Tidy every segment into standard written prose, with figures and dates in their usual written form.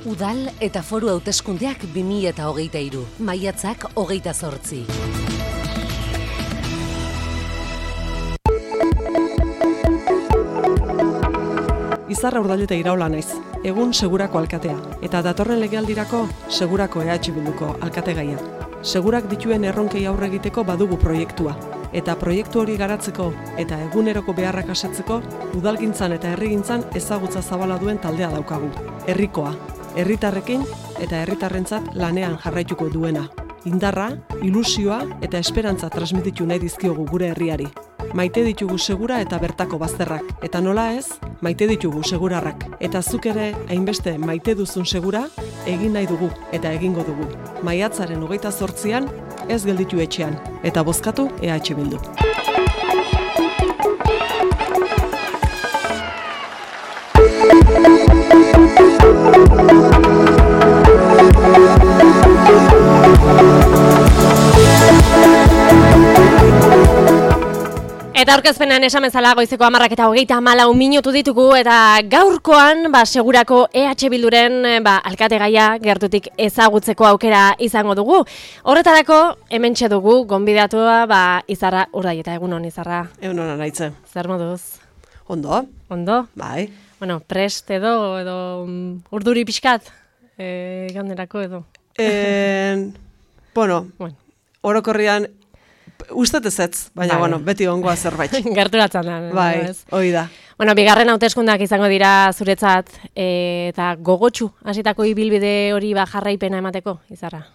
Udal eta foru hauteskundeak 2023, maiatzak 28. Izarra Urdailuta Iraola naiz, egun Segurako alkatea, eta datorren legealdirako Segurako EH Bilduko alkategaia. Segurak dituen erronkei aurre egiteko badugu proiektua, eta proiektu hori garatzeko eta eguneroko beharrak asetzeko udalgintzan eta herrigintzan ezagutza zabala duen taldea daukagu. Herrikoa, herritarrekin eta herritarrentzat lanean jarraituko duena. Indarra, ilusioa eta esperantza transmititu nahi dizkiogu gure herriari. Maite ditugu Segura eta bertako bazterrak, eta nola ez, maite ditugu Segurarrak. Eta zuk ere hainbeste maite duzun Segura, egin nahi dugu eta egingo dugu. Maiatzaren 28an ez gelditu etxean, eta bozkatu EH Bildu. Eta aurkezpenean esan bezala goizeko 10:34 minutu ditugu eta gaurkoan Segurako EH Bilduren alkategaia gertutik ezagutzeko aukera izango dugu. Horretarako hementxe dugu gonbidatua Izarra Urdailuta. Egunon Izarra. Egunon naitze. Zer moduz? Ondo. Ondo? Bai. Bueno, prest edo urduri pixkat ganderako edo. Bueno, orokorrian ustet ezetz, baina beti ongoa zerbait. Gerturatzen da. Bai, hori da. Bueno, bigarren hauteskundeak izango dira zuretzat eta gogotsu hasitako ibilbide hori jarraipena emateko, Izarra?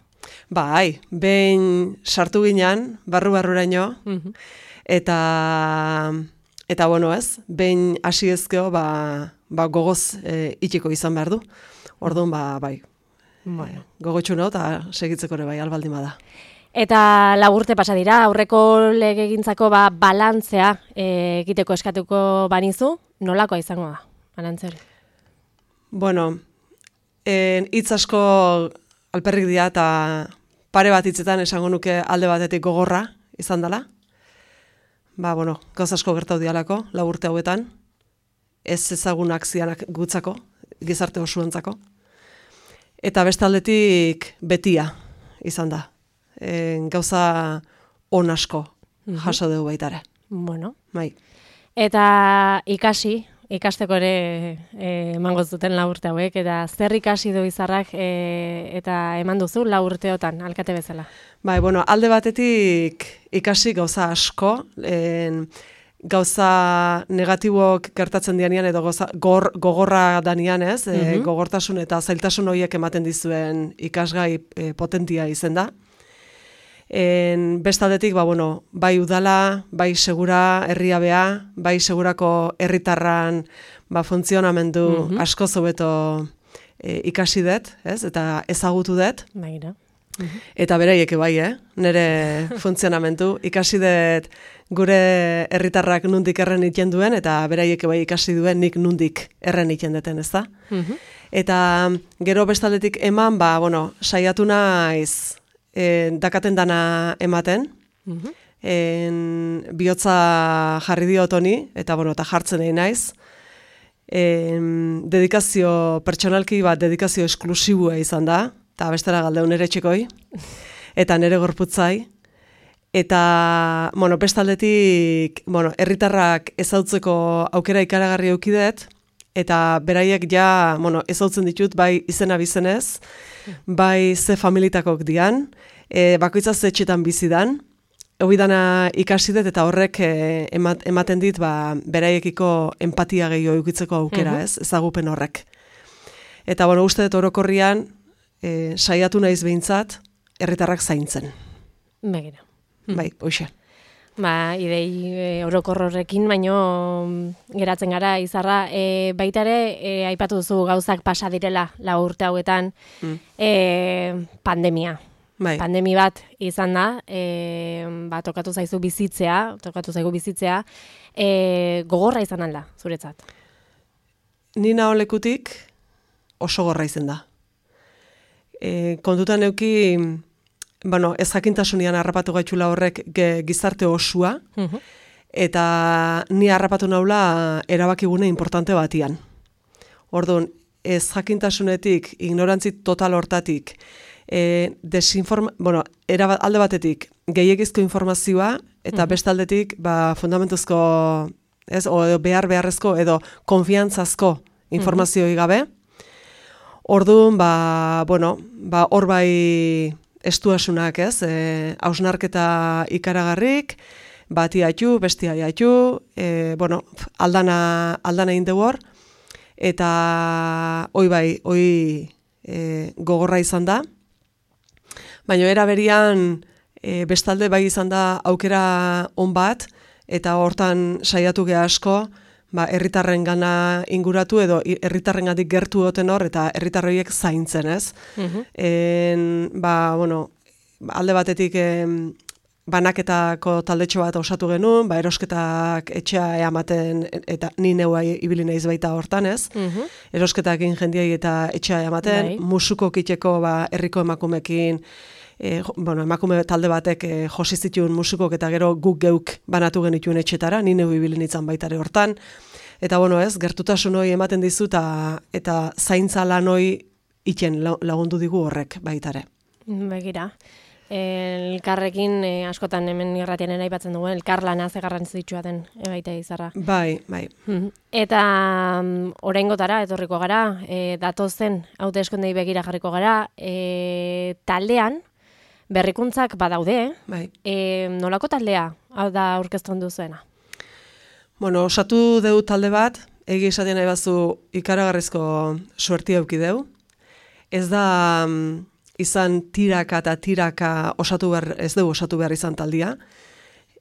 Bai, behin sartu ginean, barru-barruraino, eta bueno ez, behin hasi ezkeo gogoz itxiko izan behar du. Orduan, bai, gogotsu nago eta segitzeko ere bai, albaldin bada. Eta 4 urte pasa dira, aurreko legegintzako balantzea egiteko eskatuko banizu, nolakoa izango da, balantze hori? Bueno, hitz asko alperrik dira eta pare bat hitzetan esango nuke alde batetik gogorra izan dela. Gauz asko gertatu dialako, 4 urte hauetan, ez ezagunak zianak gutzako, gizarte osoentzako. Eta beste aldetik betia izan da. Gauza on asko jaso dugu baitare. Bueno. Bai. Eta ikasteko ere emango zuten 4 urte hauek, eta zer ikasi du Izarrak eta eman duzu 4 urteotan, alkate bezala? Bai, alde batetik ikasi gauza asko, gauza negatibok gertatzen dianean edo gogorra danian ez, gogortasun eta zailtasun horiek ematen dizuen ikasgai potentia izen da. Bestaldetik, bai udala, bai Segura herriabea, bai Segurako herritarran funtzionamendu asko hobeto ikasi dut, ez? Eta ezagutu dut. Eta beraiek bai, nire funtzionamendu ikasi dut gure herritarrak nundik erren iten duen, eta beraiek bai ikasi duen nik nundik erren iten duten, ez da? Eta gero bestaldetik eman, saiatu naiz dakaten dana ematen, bihotza jarri diot honi, eta jartzen egin naiz. Dedikazio pertsonalki dedikazio esklusibua izan da, eta bestera galdeun nire txekoi, eta nire gorputzai. Eta, bestaldetik, herritarrak ezautzeko aukera ikaragarri eukidet, eta beraiek ezautzen ditut, bai izena bizenez, bai ze familitakok dian, bakoitza ze etxetan bizidan, dana ikasi dut eta horrek ematen dit beraiekiko empatia gehiago eukitzeko aukera, ezagupen horrek. Eta, uste dut orokorrian, saiatu naiz behintzat, herritarrak zaintzen. Begira. Bai, hoxe. Idei orokor horrekin, baino geratzen gara, Izarra, baita ere, aipatu duzu gauzak pasa direla 4 urte hauetan, pandemia. Pandemi bat izan da, tokatu zaigu bizitzea, gogorra izan alda, zuretzat? Ni naho lekutik oso gorra izan da. Kontutan neuki, ez jakintasunean harrapatu gaitxula horrek gizarte osua, eta ni harrapatu naula erabakigune importante batian. Orduan, ez jakintasunetik, ignorantzi total hortatik, alde batetik gehiegizko informazioa, eta beste aldetik fundamentuzko, o beharrezko edo konfiantzazko informazioi gabe. Orduan, hor bai estuasunak, hausnarketa ikaragarrik, bati haitu, besti haitu, aldana egin dugu hor, eta hoi gogorra izan da. Baina era berian bestalde bai izan da aukera on bat, eta hortan saiatu geha asko, herritarren gana inguratu edo herritarrengatik gertu oten hor, eta herritarroiek zaintzen, ez? Alde batetik banaketako taldetxo bat osatu genuen, erosketak etxea eamaten, eta ni neua ibili naiz baita hortan, ez? Erosketak egin jendiai eta etxea eamaten, musuko kiteko herriko emakumekin, emakume talde batek josi zituen musikok eta gero guk geuk banatu genituen etxetara, ni neu ibili nintzen baitare hortan. Eta gertutasun hori ematen dizu eta zaintza lan hori iten lagundu digu horrek baitare. Begira. Elkarrekin askotan hemen irratianen aipatzen dugu, elkarlana ze garrantzitsua den baita Izarra. Bai. Eta oraingotara etorriko gara, datozen hauteskundei begira jarriko gara, taldean berrikuntzak badaude, nolako taldea hau da aurkezten duzuena? Osatu deu talde bat, egi esaten nahi bazu ikaragarrizko suerti eduki deu. Ez da izan tiraka eta tiraka ez dugu osatu behar izan taldia.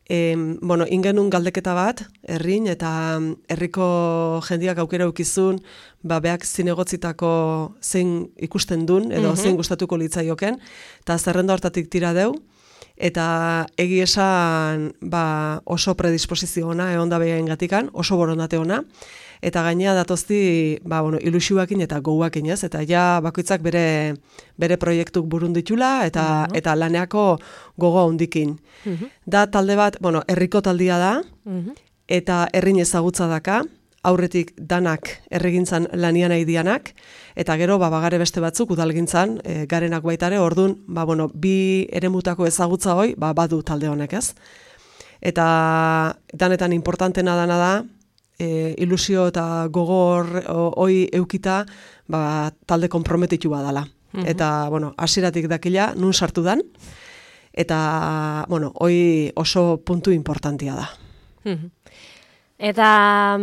Ingenun galdeketa bat, herrin, eta herriko jendiak aukera eukizun, beak zinegotzitako zein ikusten dun, edo zein gustatuko litzaioken, eta zerrenda hortatik tira deu, eta egi esan oso predisposizio ona, egon da behain gatikan, oso borondate ona, eta gainea datozti ilusioakin eta gouakin, ez? Eta ja bakoitzak bere proiektuk burun ditula eta laneako gogoa hondikin. Da talde bat, herriko taldia da, eta herrin ezagutza daka, aurretik danak herrigintzan lanian nahi dianak, eta gero bagare beste batzuk udalgintzan garenak baitare, orduan bi eremutako ezagutza hoi badu talde honek, ez? Eta danetan importantena dana da, ilusio eta gogor hoi eukita talde konprometitu badala. Eta, hasieratik dakila, nun sartu dan, eta, hoi oso puntu importantia da. Eta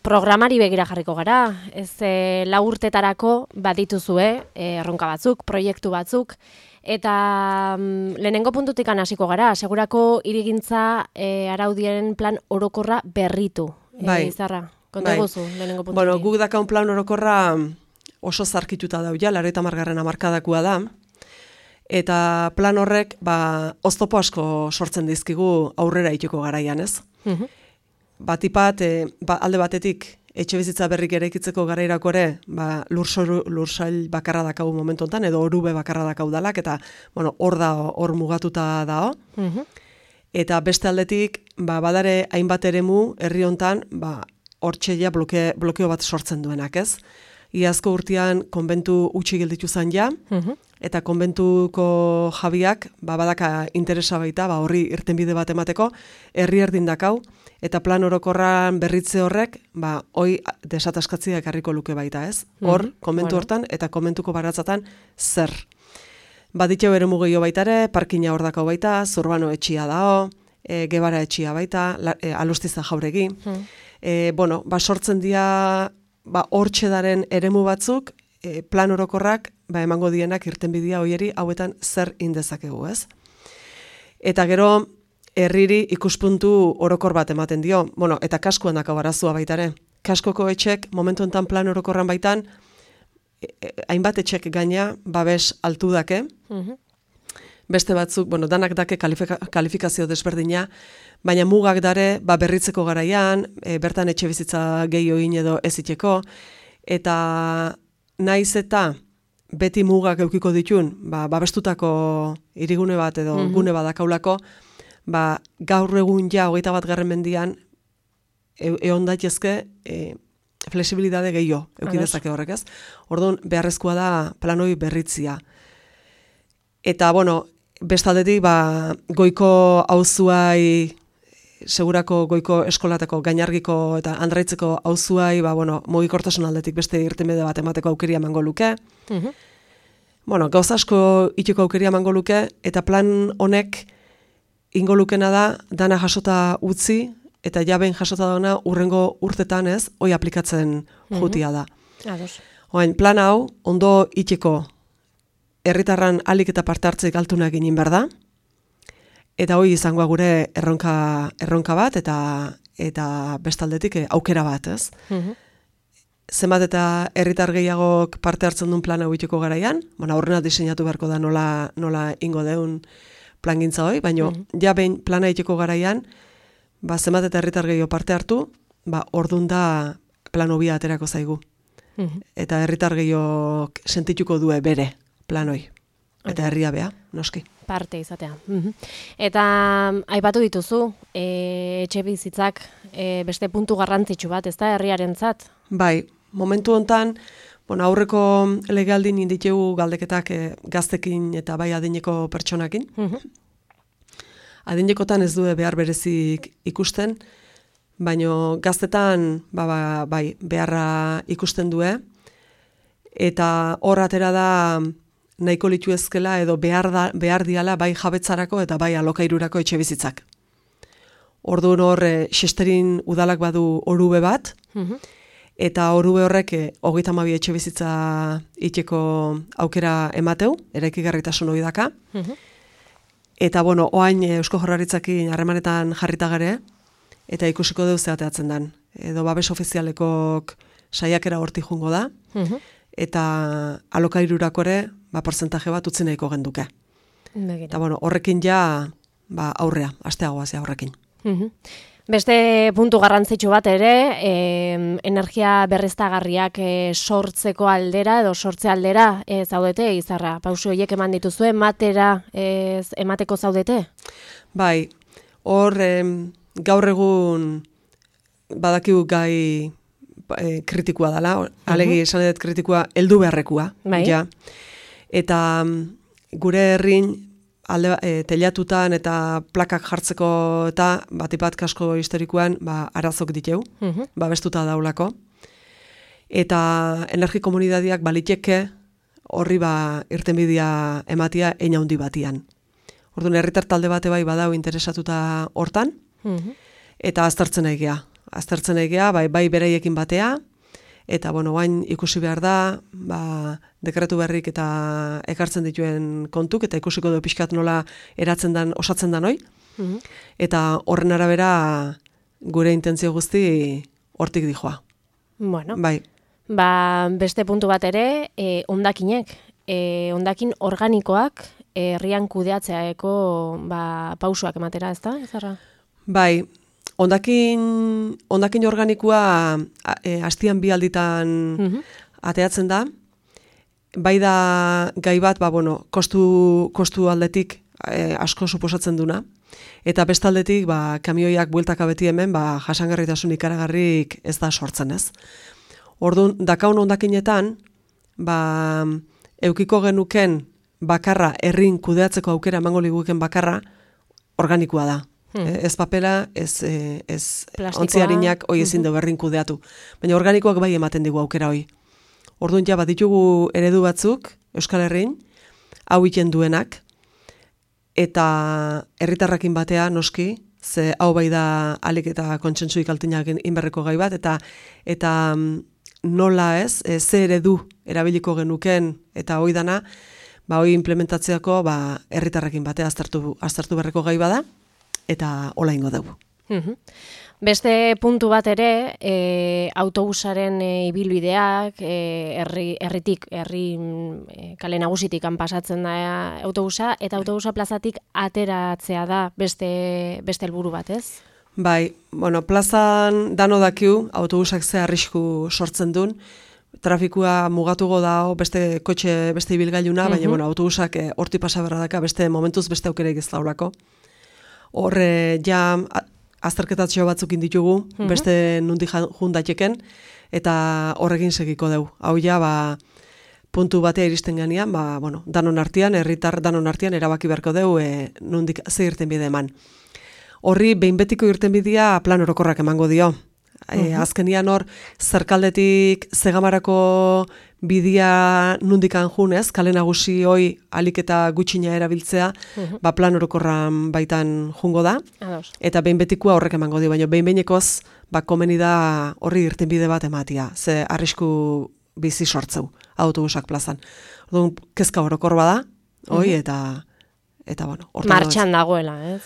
programari begira jarriko gara, ez 4 urtetarako badituzue, erronka batzuk, proiektu batzuk, eta lehenengo puntutikan hasiko gara, segurako hirigintza araudien plan orokorra berritu. Izarra, konta guzu, lehenengo puntutik. Guk dakaun plan orokorra oso zarkituta dau ja, 80. hamarkadakua da, eta plan horrek oztopo asko sortzen dizkigu aurrera itiko garaian, ez? Batipat, alde batetik, etxe bizitza berrik eraikitzeko garairako ere, lursail bakarra dakau momentu honetan, edo orube bakarra dakau dalak, eta hor mugatuta dao. Eta beste aldetik, badare hainbat eremu herri hontan, hortxeia blokeo bat sortzen duenak, ez? Iazko urtean konbentu utzi gelditu zan ja, eta konbentuko jabiak, badaka interesa baita, horri irtenbide bat emateko, herri erdin dakau, eta plan orokorran berritze horrek, hoi desataskatzia ekarriko luke baita, ez? Hor, konbentu hortan, eta konbentuko baratzatan zer. Baditxeu ere mugio baitare, parkina hor dakau baita, Zurbano etxia dao, Gebara etxia baita, Alustiza jauregi. Sortzen dira hortxedaren eremu batzuk, plan orokorrak emango dienak irtenbidea hoieri hauetan zer indezakegu, ez? Eta gero, herriri ikuspuntu orokor bat ematen dio, eta kaskuan dako barazua baitare. Kaskoko etxek, momentu enten plan orokorran baitan, hainbat etxek gaina babes altu dake, beste batzuk, danak dake kalifikazio desberdina, baina mugak dare berritzeko garaian, bertan etxe bizitza gehiago egin edo eziteko, eta naiz eta beti mugak eukiko ditun, babestutako hirigune bat edo gune badakaulako, gaur egun ja 21. mendian egon daitezke flexibilidade gehiago eukidezake horrek, ez? Orduan, beharrezkoa da planoi berritzia. Eta, bueno, bestaldetik, goiko auzuai, segurako goiko eskolateko, gainargiko eta andraitzeko auzuai, mugikortasun aldetik beste irtenbide bat emateko aukeria emango luke. Bueno, gauza asko iteko aukeria emango luke, eta plan honek ingo lukena da, dana jasota utzi, eta jaben jasota dauna urrengo urtetan ez, hoi aplikatzen jutia da. Oain, plan hau, ondo iteko herritarran alik eta parte hartzeik altuna egin behar da, eta hoi izangoa gure erronka bat, eta bestaldetik aukera bat, ez? Zenbat eta herritar gehiagok parte hartzen duen plana uiteko garaian, aurrena diseinatu beharko da nola ingo deun plangintza hoi, baina ja behin plana iteko garaian, zenbat eta herritar gehiago parte hartu, ordun da plan hobia aterako zaigu. Eta herritar gehiago sentituko due bere plan hoi. Eta herria bea, noski. Parte izatea. Eta aipatu dituzu, etxe bizitzak beste puntu garrantzitsu bat, ez da herriarentzat? Bai, momentu hontan, aurreko legealdin inditegu galdeketak gaztekin eta bai adineko pertsonakin. Adinekotan ez du behar berezik ikusten, baina gaztetan bai, beharra ikusten due, eta hor atera da nahiko litu ezkela edo behar diala bai jabetzarako eta bai alokairurako etxe bizitzak. Orduan hor, Xesterin udalak badu orube bat, eta orube horrek 32 etxe bizitza iteko aukera emateu, eraikigarritasun hori daka. Eta, oain Eusko Jaurlaritzakin harremanetan jarrita gare, eta ikusiko deu zeateatzen dan. Edo babes ofizialekok saiakera horti jungo da, eta alokairurako ere, porcentaje bat utzi nahiko genduke. Eta, horrekin ja, aurrea, asteagoazia horrekin. Beste puntu garrantzitsu bat ere, energia berriztagarriak sortzeko aldera edo sortze aldera zaudete, Izarra? Pausu horiek eman dituzue, emateko zaudete? Bai, hor gaur egun badakigu gai kritikoa dela, alegi esan edet kritikoa heldu beharrekua. Ja. Eta gure herrin telatutan eta plakak jartzeko eta batipat kasko historikoan arazok diteu, babestuta daulako. Eta energi komunidadiak baliteke horri irtenbidea ematia ein handi batian. Orduan herritar talde bate bai badau interesatuta hortan, eta aztertzen egia. Aztertzen egia, bai beraiekin batea, eta bain ikusi behar da, dekretu berrik eta ekartzen dituen kontuk, eta ikusiko du pixkat nola eratzen dan, osatzen dan hoi. Eta horren arabera gure intentzio guzti hortik dijoa. Bueno, bai. Beste puntu bat ere, hondakinek, hondakin organikoak herrian kudeatzeaeko pausuak ematera, ez da, Izarra? Bai, hondakin organikoa astian 2 alditan ateatzen da, bai da gai bat, kostu aldetik asko suposatzen duna, eta bestaldetik kamioiak bueltaka beti hemen jasangarritasun ikaragarrik ez da sortzen, ez. Orduan, dakaun hondakinetan, eukiko genuken bakarra herrin kudeatzeko aukera emango liguken bakarra organikoa da. Ez papela, ez ontziarinak hoi ezin du berrin kudeatu. Baina organikoak bai ematen digu aukera hoi. Orduan ja ditugu eredu batzuk, Euskal Herrin, hau iten duenak, eta herritarrakin batea noski, ze hau bai da alik eta kontsentsuik altinak inberreko gai bat, eta nola ez, ze eredu erabiliko genuken, eta hoi dana, hoi implementatzeako herritarrakin batea aztertu berreko gai bada, eta hola ingo dugu. Beste puntu bat ere, autobusaren ibilbideak, herri kale nagusitik pasatzen da autobusa, eta autobusa plazatik ateratzea da beste helburu bat, ez? Bai, plazan dano dakiu, autobusak ze arrisku sortzen duen, trafikua mugatuko da beste kotxe, beste ibilgailuna, baina autobusak horti pasaberra daka, momentuz beste aukereik ez daulako. Horre, ja, azterketatxo batzuk inditugu, beste nundi jundatxeken, eta horrekin segiko deu. Hau ja, puntu batea iristen ganean, danon artean, herritar danon artean erabaki beharko deu nondik ze irtenbide eman. Horri behin betiko irtenbidea plan orokorrak emango dio. Azkenian hor, zerkaldetik Zegamarako bidia nundikan junez, kale nagusi hoi alik eta gutxina erabiltzea, plan orokorran baitan jungo da, eta behin betikoa horrek emango dio, baina behin behinekoz, komeni da horri irtenbide bat ematia, ze arrisku bizi sortzeu, autobusak plazan. Orduan, kezka orokor bada, hoi, eta bueno, martxan dagoela, ez?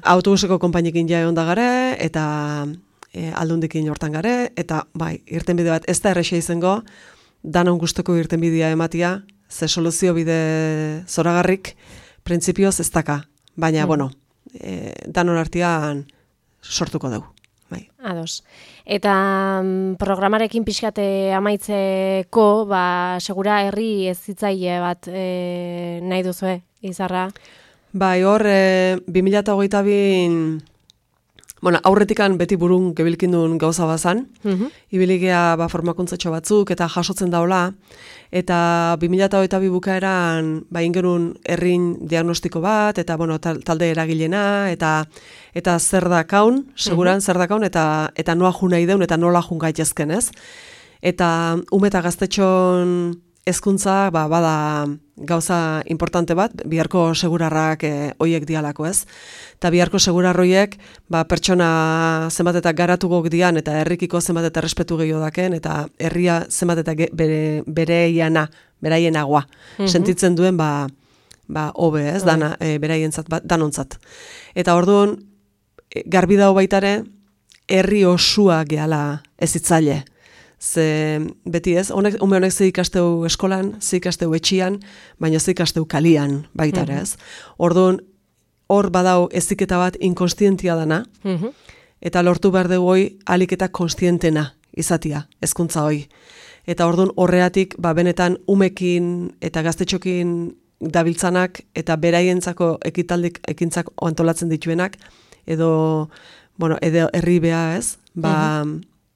Autobuseko konpainekin ja egon da gare, eta aldundikin hortan gare, eta irtenbide bat ez da errexea izango, danon gustoko irtenbidea ematia, ze soluzio bide zoragarrik, printzipioz ez daka, baina, bueno, danon artean sortuko dugu. Ados. Eta programarekin pixkate amaitzeko, segura herri ez zitzaile bat nahi duzue, Izarra? Hor, 2022, aurretikan beti burun gebilkindun gauza bazan, ibiligea formakuntzatxo batzuk eta jasotzen daula, eta 2022 bukaeran ingerun herrin diagnostiko bat, eta talde eragilena, eta zer dakaun, seguran zer dakaun, eta noa jun nahi deun, eta nola jun gaitezken, ez? Eta eta gaztetxon hezkuntza bada gauza importante bat, biharko segurarrak hoiek dialako, ez? Eta biharko segurarroiek pertsona zenbat eta garatugok dian, eta herrikiko zenbat eta respetu gehiago daken, eta herria zenbat eta beraienagoa. Sentitzen duen hobe, ez? Beraientzat, danontzat. Eta orduan, garbi dago baitare, herri osua gehala ez itzaile. Ze beti ez, ume honek ze ikasteu eskolan, ze ikasteu etxian, baina ze ikasteu kalian baitare ez. Orduan, hor badau eziketa bat inkonstientia dana, eta lortu behar dugu hoi alik eta konstientena izatia, hezkuntza hoi. Eta orduan horreatik, benetan umekin eta gaztetxokin dabiltzanak eta beraientzako ekintzak antolatzen dituenak, edo herri beha ez,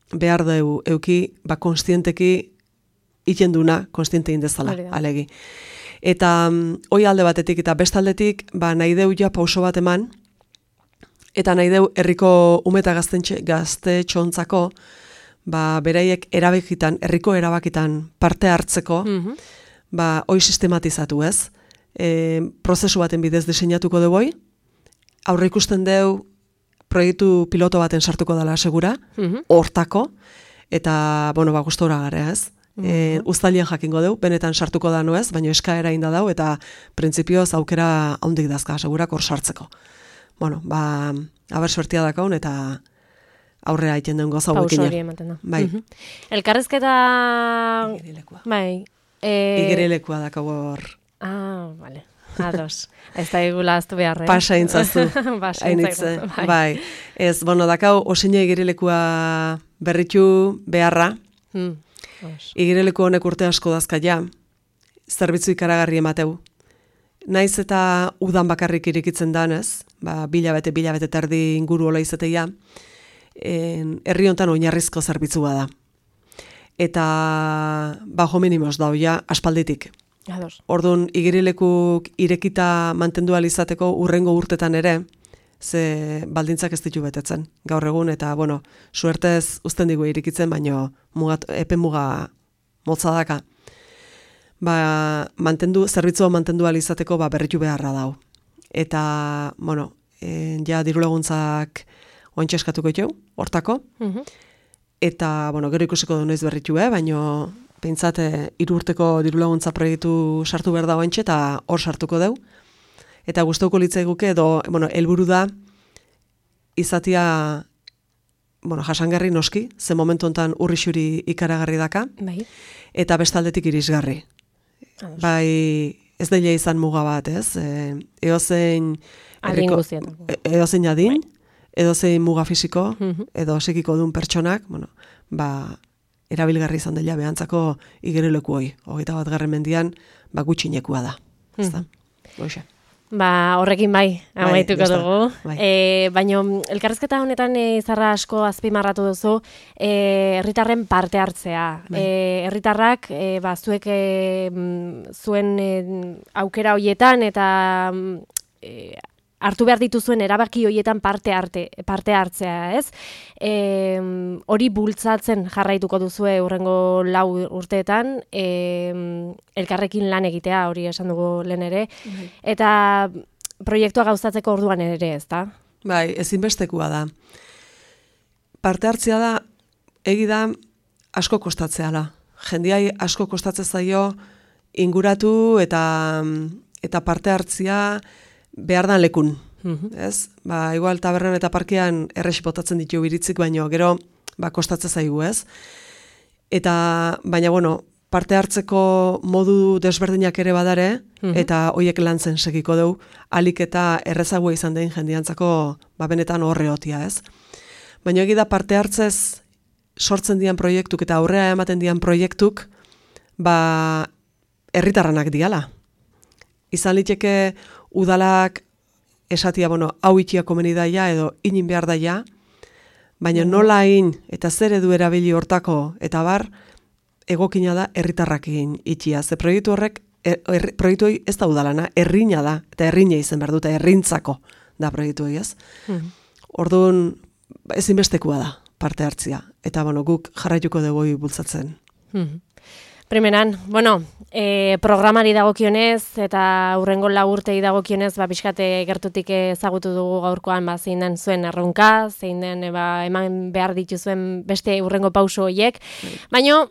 behar du euki, konstienteki itenduna, konstiente indezala, alegi. Eta hoi alde batetik eta bestaldetik, nahi deu ja pauso bat eman, eta nahi deu herriko ume eta gaztetxontzako, beraiek erabakitan, herriko erabakitan parte hartzeko, hoi sistematizatu ez. Prozesu baten bidez diseinatuko dugu hoi, aurre ikusten deu, proiektu piloto baten sartuko dela segura, hortako, eta, gustora gara ez. Uztailien jakingo deu, benetan sartuko da ez, baina eskaera inda dau, eta printzipioz aukera haundik dazka, segurak hor sartzeko. Aber suertia dakaun, eta aurrea aiten den goza hauekin. Pauso hori ematen da. Elkarrezketa... Igerilekua dakau hor. Vale. Ados. Ez da egula aztu beharre. Pasa intzazu. Bai. Ez, dakau, osine igerilekua berritu beharra. Igerileku honek urte asko dazkaia. Zerbitzu ikaragarri emateu. Naiz eta udan bakarrik irikitzen danez, bilabete terdi inguru hola izateia, herri hontan oinarrizko zerbitzua da. Eta bajo minimos dauia aspalditik. Orduan, igerilekuk irekita mantendu izateko urrengo urtetan ere, ze baldintzak ez ditu betetzen gaur egun, eta, suertez uzten digu irikitzen, baino epe muga motza daka. Zerbitzua mantendu izateko berritu beharra dau. Eta, ja diru laguntzak ointxe eskatuko ditu, hortako. Eta, gero ikusiko du noiz berritu, baino pentsat 3 urteko diru laguntza proiektu sartu behar da ointxe, eta hor sartuko deu. Eta gustatuko litzaiguke edo, helburu da izatia, jasangarri noski, ze momentu hontan urrixuri ikaragarri daka, eta bestaldetik irisgarri. Ez daile izan muga bat, ez? Edozein adin, edozein muga fisiko, edo psikiko duen pertsonak, erabilgarri izan dela behantzako igerileku hoi. 21. mendian, gutxinekua da. Horrekin amaituko dugu. Baina elkarrizketa honetan Izarra asko azpimarratu duzu herritarren parte hartzea. Herritarrak zuek zuen aukera hoietan eta hartu behar dituzuen erabaki hoietan parte hartzea, ez? Hori bultzatzen jarraituko duzue hurrengo 4 urteetan, elkarrekin lan egitea, hori esan dugu lehen ere, eta proiektua gauzatzeko orduan ere, ez da? Bai, ezinbestekoa da. Parte hartzea da, da, asko kostatzea da. Jendiai asko kostatzen zaio inguratu eta parte hartzea behar dan lekun, ez? Igual tabernan eta parkean errexi botatzen ditu iritzik, baino gero kostatzen zaigu, ez? Baina, parte hartzeko modu desberdinak ere badare, eta hoiek lantzen segiko dugu, alik eta errezagoa izan den jendiantzako benetan horre hotia, ez? Baina egida parte hartzez sortzen dian proiektuk eta aurrea ematen dian proiektuk, herritarranak diala. Izan liteke udalak esatia, hau itxia komeni daia edo inin behar daia, baina nola in eta zer edu erabili hortako eta egokina da herritarrakin itxia. Ze proiektu horrek, proiektu hori ez da udalana, herrina da, eta herrina izen behar dute, herrintzako da proiektu hori, ez? Orduan, ezinbestekoa da parte hartzia, eta guk jarraituko dugu bultzatzen. Primeran, programari dagokionez eta hurrengo 4 urtei dagokionez, pixkate gertutik ezagutu dugu gaurkoan zein den zuen erronka, zein den eman behar dituzuen beste hurrengo pauso horiek, baina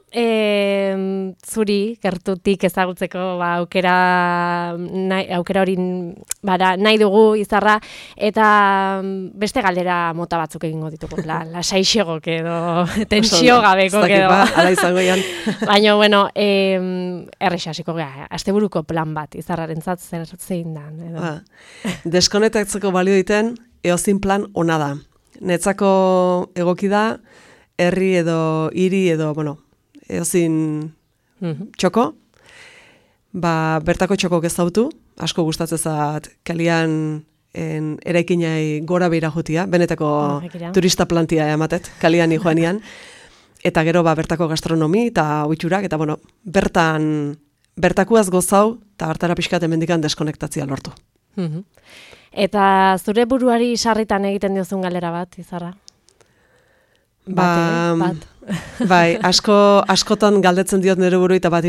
zuri gertutik ezagutzeko aukera hori nahi dugu Izarra, eta beste galdera mota batzuk egingo ditugu, lasaixegok edo tensio gabeko edo. Ala izango ian. Baina, errexasiko gara, asteburuko plan bat, Izarrarentzat zer zein da. Deskonektatzeko balio diten, eozin plan ona da. Netzako egoki da, herri edo hiri edo, eozin txoko, bertako txoko gezautu, asko gustatzen zat kalian eraikinai gora behira jutia, benetako turista plantia ematet, kalian joanian, eta gero bertako gastronomi eta oiturak, eta bertakuaz gozau, eta hartara pixkat emendikan deskonektatzia lortu. Eta zure buruari sarritan egiten diozun galera bat, Izarra? Bai, askotan galdetzen diot nire buru eta bat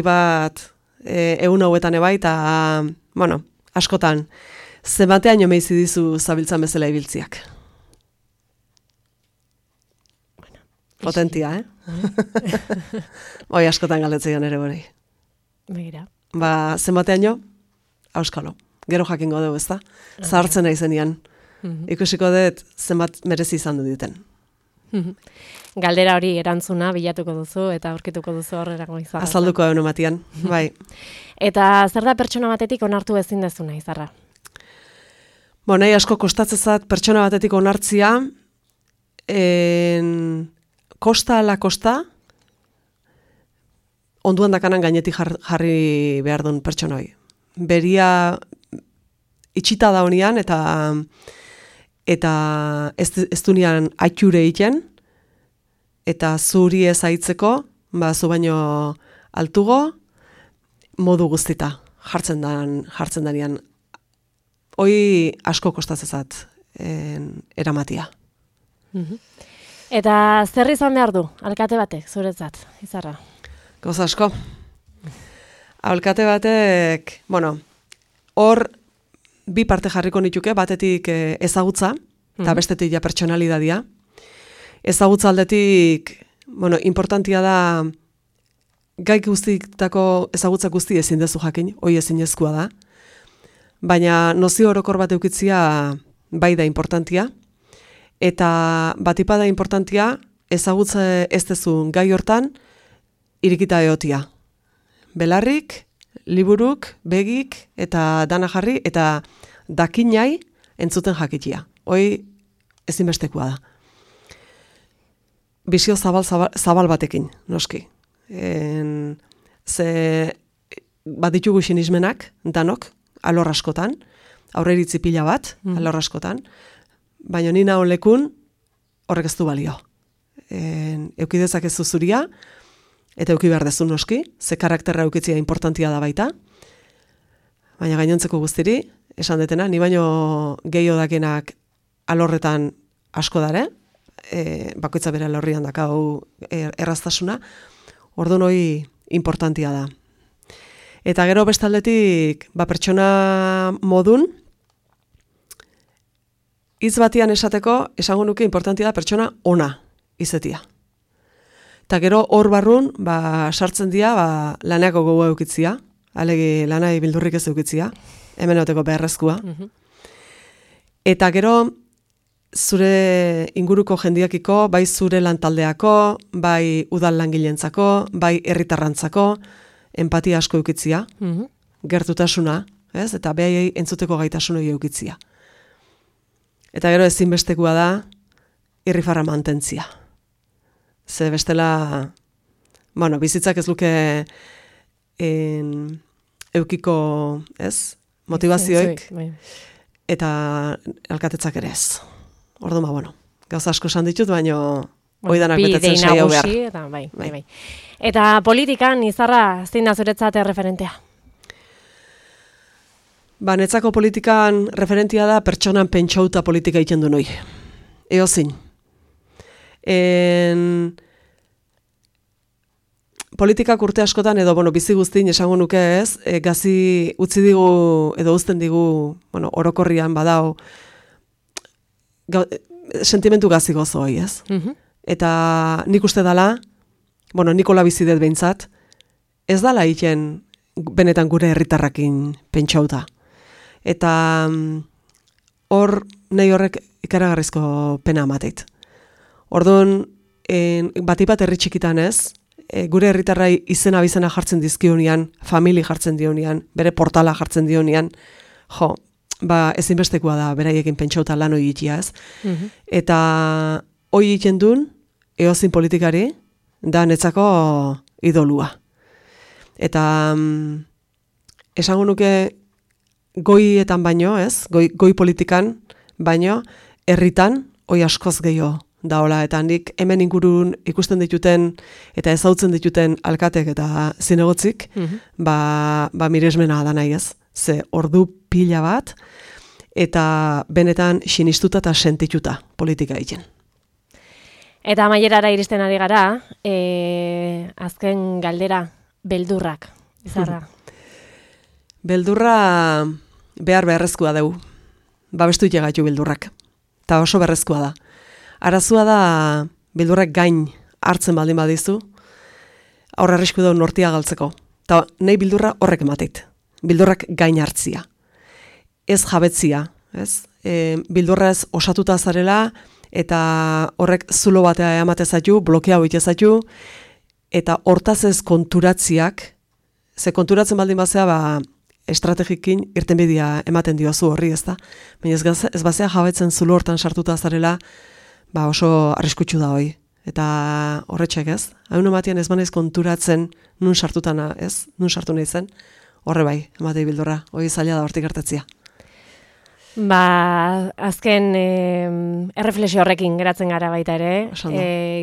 egun hauetan ebai, eta, askotan, zenbatean meizi dizu zabiltzan bezala ibiltziak. Potentia, Hoi askotan galdetzen ere bori. Begira. Zenbatean auskalo. Gero jakingo dugu, ezta? Zahartzen nahi zenian. Ikusiko dut zenbat merezi izan du duten. Galdera hori erantzuna bilatuko duzu eta aurkituko duzu horrerago Izarra. Azalduko egun ematian, bai. Eta zer da pertsona batetik onartu ezin dezuna, Izarra? Nahi asko kostatzezat pertsona batetik onartzia, kosta ala kosta, onduan dakanan gainetik jarri behar duen pertsonoi. Beria itxita da honian eta ez dunian aiture egiten, eta zuri ez aitzeko, zu baino altugo, modu guztita jartzen danian. Hoi asko kostatzezat eramatia. Eta zer izan behar du, alkate batek, zuretzat, Izarra? Gauza asko. Alkate batek, hor bi parte jarriko nituke, batetik ezagutza, eta bestetik pertsonalidadia. Ezagutza aldetik, importantia da, gai guztitako ezagutza guzti ezin dezu jakin, hoi ezinezkoa da. Baina nozio orokor bat eukitzia bai da importantia. Eta batipada importantia, ezagutza ez dezun gai hortan, irikita eotia. Belarrik, liburuk, begik, eta dana jarri, eta dakinai entzuten jakitia. Hoi ezinbestekoa da. Bizio zabal batekin, noski. Bat ditugu sinismenak, danok, alor askotan, aurreiritzi pila bat, alor askotan, baina ni naon lekun horrek ez du balio. Eukidezak ez zuzuria, eta euki behar dezu noski, ze karakterra eukitzia importantia da baita, baina gainontzeko guztiri, esan detena, ni baino gehiago dakenak alorretan asko dare, bakoitza bere alorrian dakau erraztasuna, orduan hori importantia da. Eta gero bestaldetik, pertsona modun, hitz batian esateko, esango nuke importantia da pertsona ona izetia. Eta gero hor barrun, sartzen dira, laneako gogoa eukitzia, alegi lanai bildurrik ez eukitzia, hemen oteko beharrezkoa. Eta gero, zure inguruko jendiakiko, bai zure lantaldeako, bai udal langileentzako, bai herritarrantzako, empatia asko eukitzia, gertutasuna, ez? Eta behaiei entzuteko gaitasuna eukitzia. Eta gero ezinbestekoa da, irrifarra mantentzia. Ze bestela, bizitzak ez luke eukiko, ez? Motivazioik, eta alkatetzak ere ez. Orduan, gauza asko esan ditut, baina oidanak betetzen saio behar. Bai. Eta politikan, Izarra, zein da zuretzat referentea? Netzako politikan referentia da pertsonan pentsauta politika egiten du noi. Eozin. Politikak urte askotan, edo bizi guztin esango nuke ez, gazi utzi digu, edo uzten digu, orokorrian badao, sentimentu gazi gozo hoi, ez? Eta nik uste dala, Nikola bizidet behintzat, ez dala egiten benetan gure herritarrakin pentsauta. Eta hor nahi horrek ikaragarrizko pena amateit. Orduan, batipat herri txikitan ez, gure herritarrai izena bizena jartzen dizkionian, famili jartzen dionian, bere portala jartzen dionian, ezinbestekoa da beraiekin pentsauta lan hori egitea ez. Eta hori egiten duen, eozin politikari, da netzako idolua. Eta esango nuke goietan baino, ez? Goi politikan baino, herritan, hoi askoz gehiago daola. Eta nik hemen ingurun ikusten dituten eta ezautzen dituten alkatek eta zinegotzik, miresmena da nahi ez. Ze ordu pila bat, eta benetan sinistuta eta sentituta politika egiten. Eta amaierara iristen ari gara, azken galdera, beldurrak, Izarra. Beldurra beharrezkoa dugu. Babestu gaitu beldurrak. Eta oso beharrezkoa da. Arazua da beldurrak gain hartzen baldin badizu, aurre arrisku daun nortia galtzeko. Eta nahi beldurra horrek emateit. Beldurrak gain hartzia. Ez jabetzia. Ez? Beldurraz osatuta zarela, eta horrek zulo batea ematezatu, blokea hoitezatu, eta hortaz ez konturatziak, ze konturatzen baldin bazea, estrategikin irtenbidea ematen diozu horri, ez da? Baina ez bazea jabetzen zulo hortan sartuta zarela, oso arriskutsu da hoi. Eta horretxek ez? Haun ematean ez banaiz konturatzen nun sartutana, ez? Nun sartu nahi zen, horre bai, ematei bildurra, hoi zaila da hortik gertatzia. Azken erreflexio horrekin geratzen gara baita ere,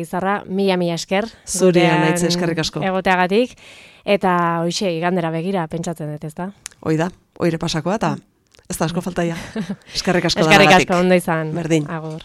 Izarra, mila esker. Zurea naitze eskerrik asko. Egoteagatik, eta hoxe, igandera begira, pentsatzen dut, ez da? Hoi da, hoire pasakoa, eta ez da asko faltaia. Eskerrik asko daragatik. Eskerrik asko, ondo izan. Berdin. Agur.